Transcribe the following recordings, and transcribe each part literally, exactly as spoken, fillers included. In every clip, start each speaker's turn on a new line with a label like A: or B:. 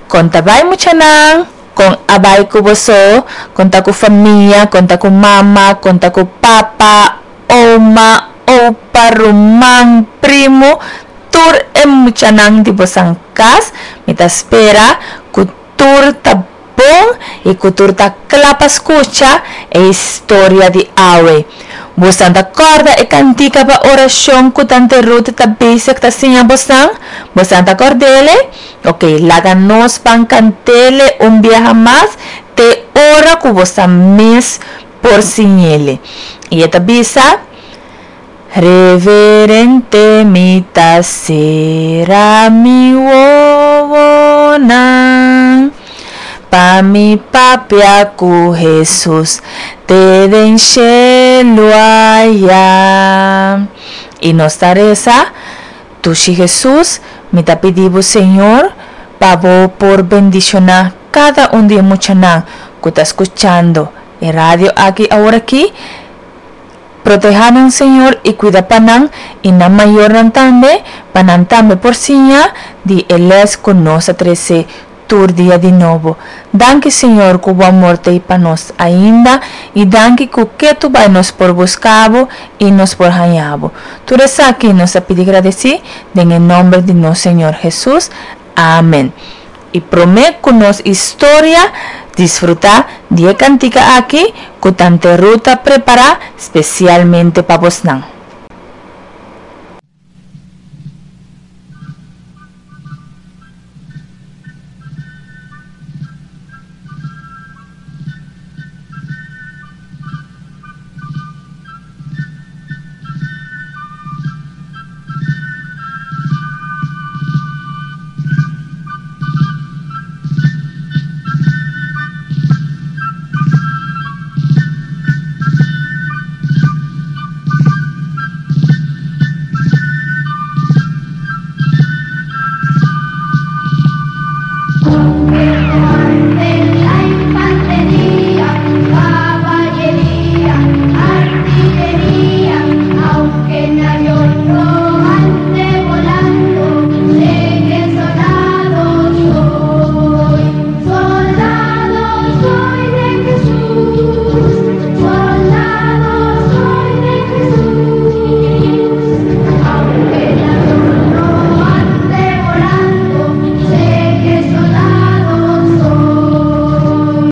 A: Kon ta bai muchanan? Kon a bai ku boso? Kon ta ku famia? Kon ta ku mama? Kon ta ku papa, oma, opa, ruman, primu? Tur e muchanan di boso kas, mi ta spera ku tur ta bon i ku tur ta kla pa skucha e historia di awe. Boso ta kòrda e kantika pa orashon ku Tante Ruth ta bezig ta siña boso? Boso ta kòrd'é? Ok, laga nos ban kant'é un biaha mas te ora ku boso mes por siñ'é. I e ta bisa: Reverente mi ta sera mi wowonan pa mi papia ku Jesus te den shelu aya. I nos ta resa: Dushi Jesus, mi ta pidi bo, Señor, pa bo por bendishoná kada un di e muchanan ku ta skuchando e radio aki awor aki. Protehá nan, Señor, i kuida pa nan i nan mayornan tambe, pa nan tambe por siña di e lès ku nos a trese tur dia di nobo. Danki, Señor, ku bo amor t'ei pa nos ainda i danki ku ketu bai nos por buska bo i nos por haña bo. Tur esaki nos a pidi gradisí den nòmber di nos Señor Jesus. Amèn. I promé ku nos historia, disfrutá di e kantika aki ku Tante Ruth a prepará spesialmente pa boso.
B: Aunque no ande en la infantería, caballería, artillería, aunque en avión no ande volando, sé que soldado soy. Soldado soy de Jesús, soldado soy de Jesús. Aunque en avión no ande volando, sé que soldado soy.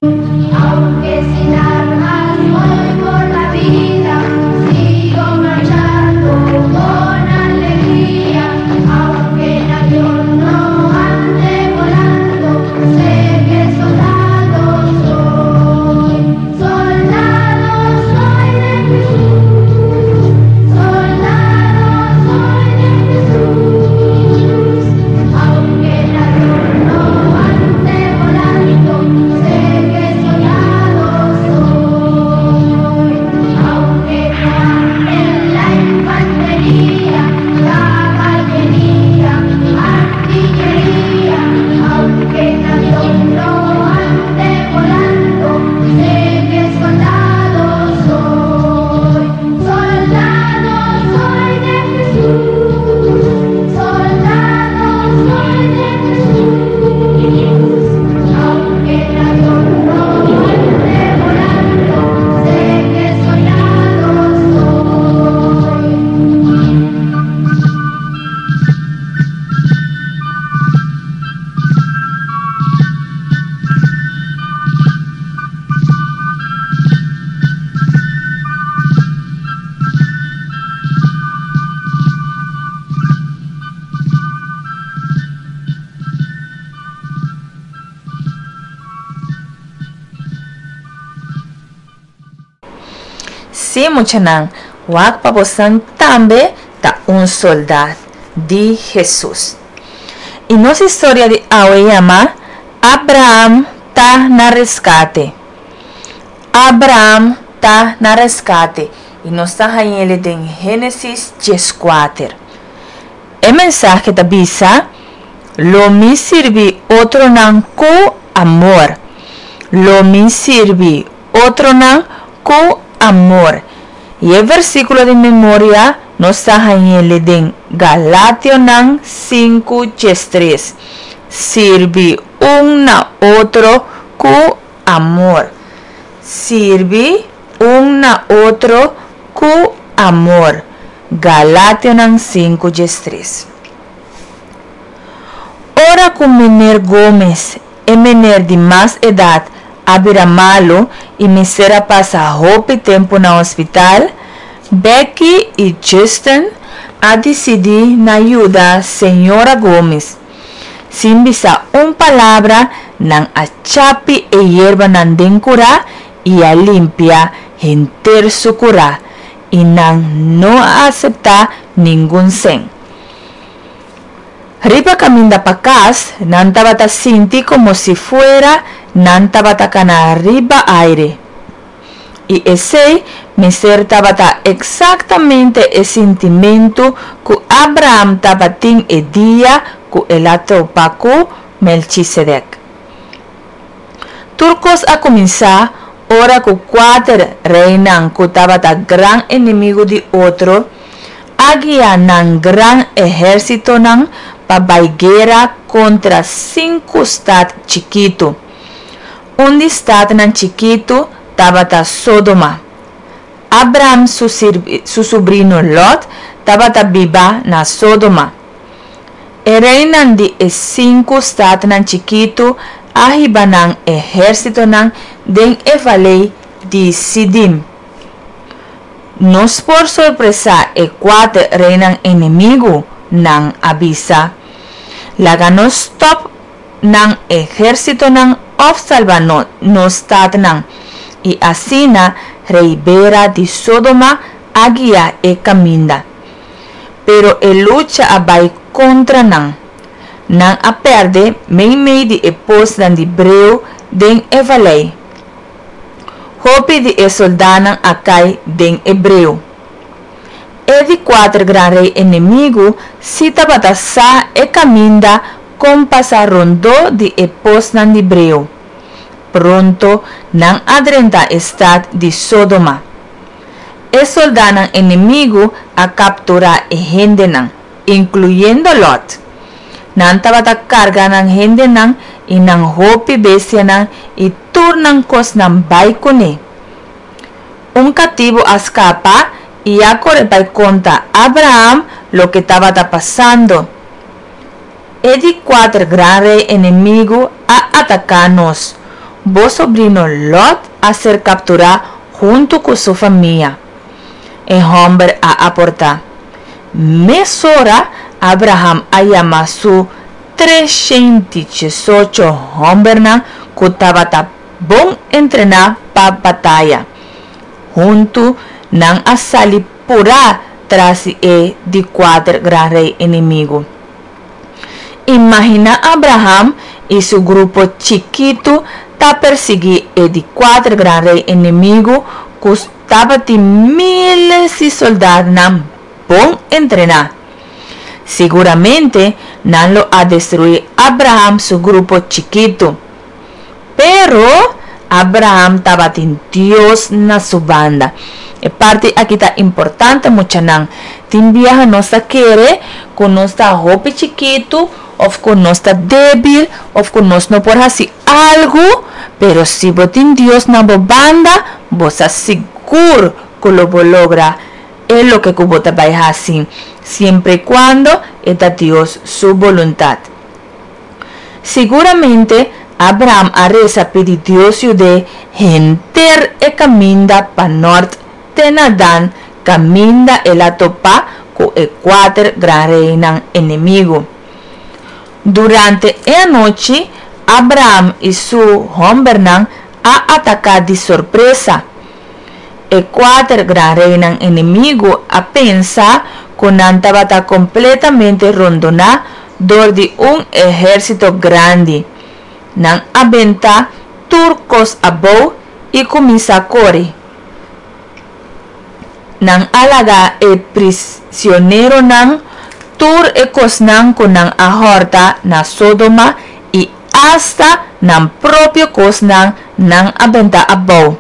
B: Aunque sin armas voy por la vida, sigo marchando con alegría. Aunque en avión no ande volando, sé que soldado soy. Soldado soy de Jesús, soldado soy de Jesús. Aunque en avión no ande volando, sé que soldado soy. Aunque no ande en la infantería, caballería, artillería, aunque en avión no ande volando, sé que soldado soy. Soldado soy de Jesús, soldado soy de Jesús. Aunque en avión no ande volando, sé que soldado soy.
A: Sí, muchanan, wak pa boso tambe ta un sòldá di Jesus. I nos historia di awe yama Abraham ta na reskate. Abraham ta na reskate. I nos ta hañ'é den Génesis dieskuater. E mensahe ta bisa: Lo mi sirbi otronan ku amor. Lo mi sirbi otronan ku amor. I e versíkulo di memoria nos ta hañ'é den Galationan sinku tres. Sirbi un na otro ku amor. Sirbi un na otro ku amor. Galationan sinku diestres. Ora ku mener Gomez, e mener di mas edat, a bira malu i mester a pasa hopi tempu na hospital, Becky i Justin a disidí na yuda señora Gomez. Sin bisa un palabra, nan a chapi e yerbanan den kurá i a limpia henter su kurá, i nan no a aseptá ningun sèn. Riba kaminda pa kas, nan tabata sinti komo si fuera nan tabata kana riba aire. I esei mester tabata eksaktamente e sintimentu ku Abraham tabatin e dia ku el a topa ku Melchisedek. Tur kos a kuminsá ora ku kuater reinan ku tabata gran enemigu di otro a guia nan gran ehérsitonan pa bai guera kontra sinku stat chikitu. Un di statnan chikitu tabata Sodoma. Abraham su, su subrino Lot tabata biba na Sodoma. E reinan di e sinku statnan chikitu a hiba nan ehérsitonan den e valei di Sidim. Nos por sorpresá e kuater reinan enemigu, nan a bisa. Laga nos stòp nan ehérsitonan òf salba nos statnan. I asina rei Bera di Sodoma a guia e kaminda. Pero e lucha a bai kontra nan. Nan a pèrdè meimei di e posnan di breu den e valei. Hopi di e sòldánan a kai den e breu. E di kuater gran rei enemigu sí tabata sa e kaminda kon pasa rondó di e posnan di breu. Pronto nan a drenta e stat di Sodoma. E sòldánan enemigu a kapturá e hendenan, inkluyendo Lòt. Nan tabata karga nan hendenan i nan hopi bestianan i tur nan kosnan bai kuné. Un katibu a skapa i a kore bai konta Abraham loke tabata pasando. E di kuater gran rei enemigu a ataká nos. Bo sobrino Lòt a ser kapturá huntu ku su famia, e hòmber a aportá. Mesora Abraham a yama su treshenti diesocho hòmbernan ku tabata bon entrená pa bataya. Huntu nan a sali purá tras di e di kuater gran rei enemigu. Imaginá Abraham i su grupo chikitu ta persiguí e di kuater gran rei enemigu ku tabatin míles di sòldatnan bon entrená. Siguramente nan lo a destruí Abraham su grupo chikitu. Pero Abraham tabatin Dios na su banda. E parti aki ta importante, muchanan. Tin biaha nos ta kere ku nos ta hopi chikitu òf ku nos ta débil òf ku nos no por hasi algu, pero si bo tin Dios na bo banda, bo sa sigur ku lo bo logra e loke ku bo ta bai hasi, siempre i kuando e ta Dios su boluntat. Siguramente Abraham a resa pidi Dios yud'é henter e kaminda pa nòrt te na Dan kaminda el a topa ku e kuater gran reinan enemigu. Durante e anochi, Abraham i su hòmbernan a ataká di sorpresa. E kuater gran reinan enemigu a pensa ku nan tabata kompletamente rondoná dor di un ehérsito grandi. Nan a benta tur kos abou i kuminsá kore. Nan a laga e prisioneronan tur e kosnan ku nan a hòrta na Sodoma i asta nan propio kosnan nan a benta abou.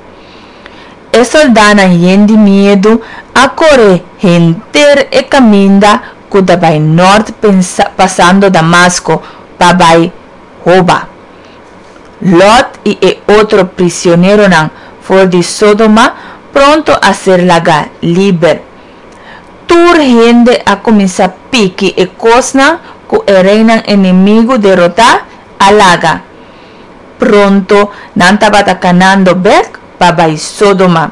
A: E sòldánan yen di miedu a kore henter e kaminda ku ta bai nòrt pasando Damasko pa bai Hoba. Lot i e otro prisioneronan for di Sodoma pronto a ser lagá liber. Tur hende a kuminsá piki e kosnan ku e reinan enemigu derotá a laga. Pronto nan tabata kanando bèk pa bai Sodoma.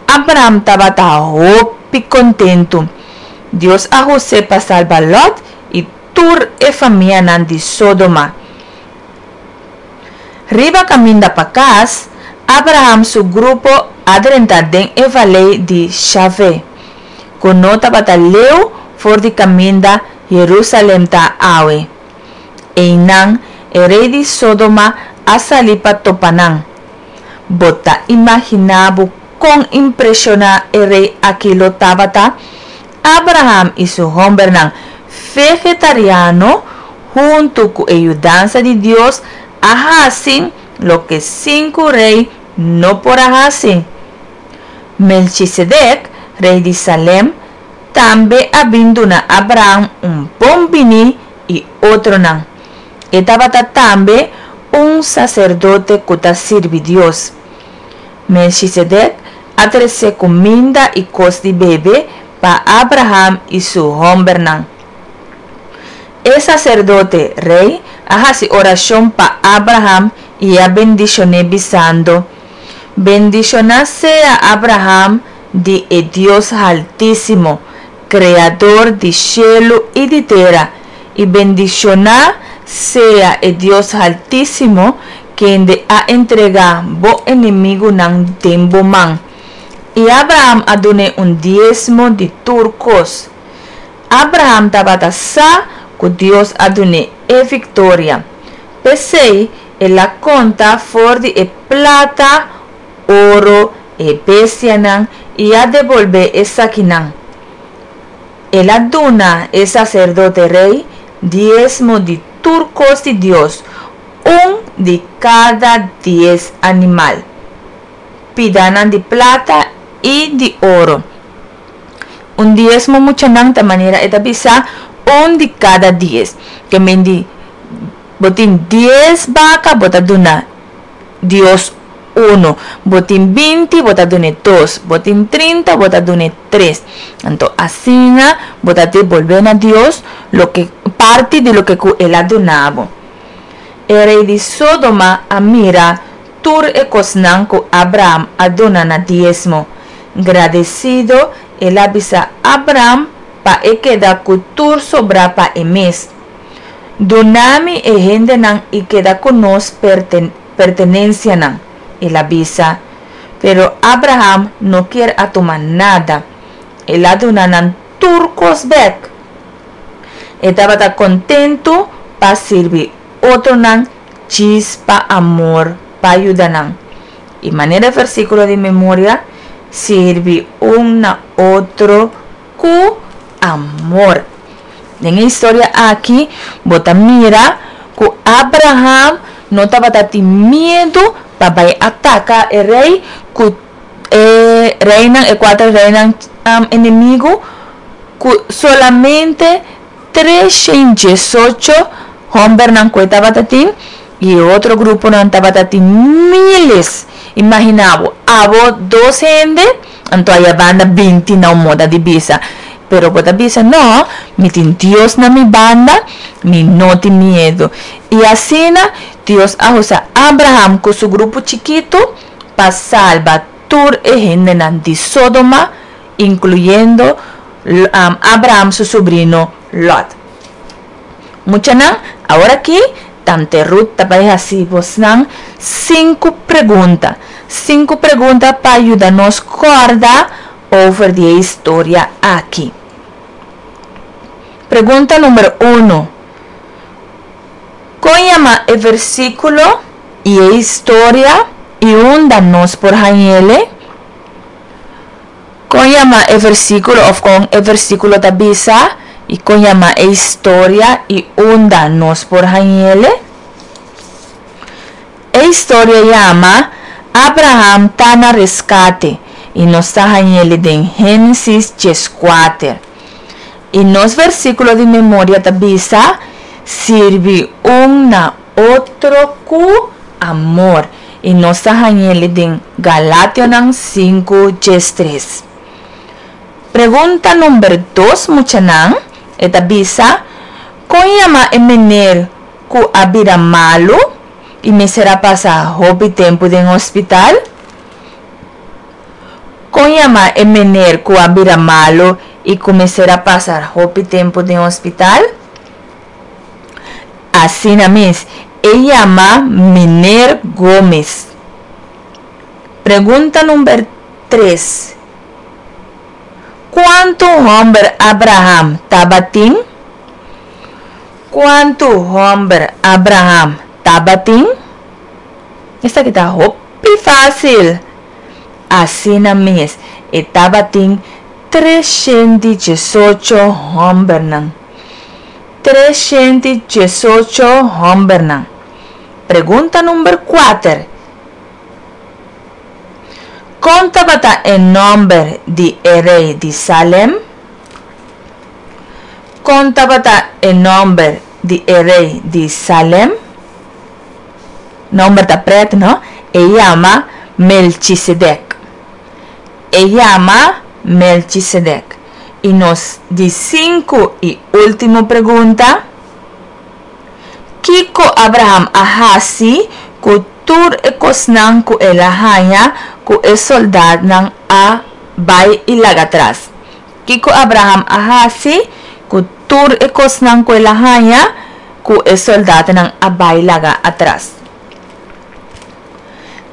A: Abraham tabata hopi kontentu. Dios a us'é pa salba Lot i tur e famianan di Sodoma. Riba kaminda pa kas, Abraham su grupo a drenta den e valei di Shave, ku no tabata leu for di kaminda Herusalèm ta awe. Einan, e rei di Sodoma a sali pa topa nan. Bo ta imaginá bo kon impreshoná e rei akí lo tabata? Abraham i su hòmbernan vegetariano, huntu ku e yudansa di Dios, a hasi loke sinku rei no por a hasi. Melchisedek, rei di Salem, tambe a bin duna Abraham un bon biní i otronan. E tabata tambe un saserdote ku ta sirbi Dios. Melchisedek a trese kuminda i kos di bebe pa Abraham i su hòmbernan. E saserdote rei a hasi orashon pa Abraham i a bendishon'é bisando, Bendishoná sea Abraham di e Dios Haltísimo, Kreador di shelu i di tera, i bendishoná sea e Dios Haltísimo kende a entregá bo enemigunan den bo man. I Abraham a dun'é un diesmo di tur kos. Abraham tabata sa ku Dios a dun'é e viktoria. P'esei el a konta for di e plata, oro, e bestianan i a debolbé esakinan. El a duna e saserdote rei diesmo di tur kos di Dios, un di kada dies animal, pidanan di plata i di oro. Un diesmo, muchanan, ta manera e ta bisa un di kada dies. Ke men di bo tin dies baka, bo ta duna Dios uno. Bo tin binti, bo ta dun'é dos. Bo tin trinta, bo ta dun'é tres. Anto asina bo ta debolbé na Dios loke parti di loke ku el a duna bo. E rei di Sodoma a mira tur e kosnan ku Abraham a duna na diesmo. Gradesido el a bisa Abraham pa e keda ku tur sobrá pa e mes. Duna mi e hendenan i keda ku nos pertenensianan, el a bisa. Pero Abraham no kier a tuma nada. El a duna nan tur kos bèk. E tabata kontentu pa sirbi otronan djis pa amor pa yuda nan. I manera e versíkulo di memoria, Sirbi un na otro ku amor. Den e historia aki bo ta mira ku Abraham no tabata tin miedu pa bai ataka e rei ku e reinan, e kuater reinan enemigu ku solamente treshen diesocho hòmbernan ku e tabata tin i e otro gruponan tabata tin míles. Imaginá bo, abo dos hende, anto aya banda binti na un moda di bisa. Pero bo ta bisa, No, mi tin Dios na mi banda, mi no tin miedu. I asina Dios a usa Abraham ku su grupo chikitu pa salba tur e hendenan di Sodoma, inkluyendo Abraham su subrino Lòt. Muchanan, aworakí Tante Ruth ta bai hasi bosnan sinku pregunta. Sinku pregunta pa yuda nos kòrda over di e historia aki. Pregunta number uno, Kon yama e versíkulo i e historia i unda nos por hañ'ele? Kon yama e versíkulo òf kon e versíkulo ta bisa i kon yama e historia i unda nos por hañ'ele? E historia yama Abraham Ta na Reskate i nos ta hañ'ele den Génesis dieskuater. I nos versíkulo di memoria ta bisa, Sirbi un na otro ku amor. I nos ta hañ'é den Galationan sinku diestres. Pregunta number dos, muchanan, e ta bisa: Kon yama e mener ku a bira malu i mester a pasa hopi tempu den hospital? Kon yama e mener ku a bira malu i ku mester a pasa hopi tempu den hospital? Asina mes, e yama Mener Gomez. Pregunta number tres. Kuantu hòmber Abraham tabatin? Kuantu hòmber Abraham tabatin? Esaki ta hopi fásil. Asina mes, e tabatin treshen diesocho hòmbernan. Treshen diesocho hòmbernan. Pregunta number kuater. Kon tabata e nòmber di e rei di Salem? Kon tabata e nòmber di e rei di Salem? Nòmber ta prèt, no? E yama Melchisedek. E yama Melchisedek. I nos di sinku i último pregunta. Kiko Abraham a hasi ku tur e kosnan ku el a haña ku e sòldánan a bai i laga atras? Kiko Abraham a hasi ku tur e kosnan ku el a haña ku e sòldánan a bai laga atras?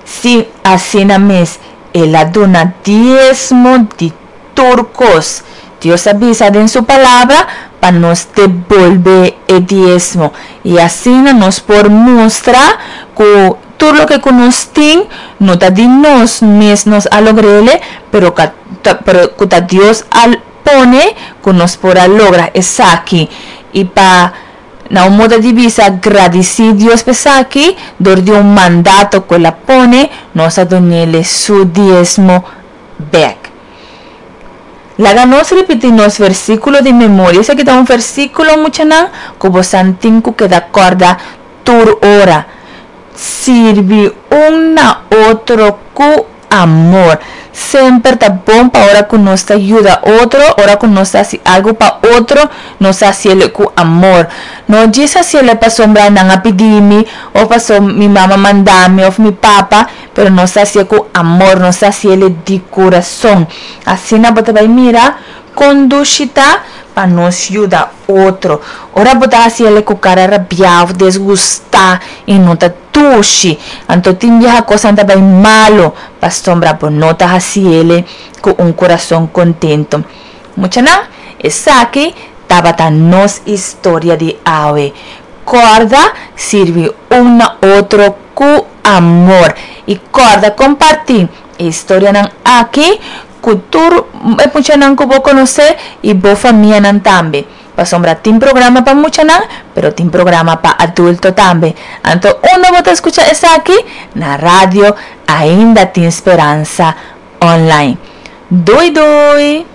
A: Si, asina mes, el a duna diesmo di tur kos. Dios a bisa den su palabra pa nos debolbé e diesmo. I asina nos por mustra ku tur loke ku nos tin, no ta di nos mes nos a logr'é, pero, pero ku Dios a pone ku nos por a logra esaki. I pa na un modo di bisa gradisí Dios p'esaki, dor di un mandato ku el a pone, nos a dun'é su diesmo bèk. Laga nos ripití nos versíkulo di memoria. Esaki ta un versíkulo, muchanan, ku boso tin ku keda kòrda tur ora. Sirbi un na otro ku amor. Semper ta bon pa ora ku nos ta yuda otro, ora ku nos ta hasi algu pa otro, nos ta hasié ku amor. No djis hasié pasobra nan a pidi mi, òf paso mi mama manda mi, òf mi papa, pero nos ta hasié ku amor, nos ta hasié di kurason. Asina bo ta bai mira kon dushi ta pa nos yuda otro. Ora bo ta hasié ku kara rabiá, disgustá i no ta dushi. Anto tin biaha kos ta bai malu, pasobra bo no ta hasié ku un kurason kontentu. Muchanan, esaki tabata nos historia di awe. Kòrda sirbi un na otro ku amor. I kòrda kompartí e historianan aki ku tur muchanan ku bo konosé i bo famianan tambe. Pasobra tin programa pa muchanan, pero tin programa pa adulto tambe. Anto, unda bo ta skucha esaki? Na radio Ainda Tin Speransa online. Doei doei!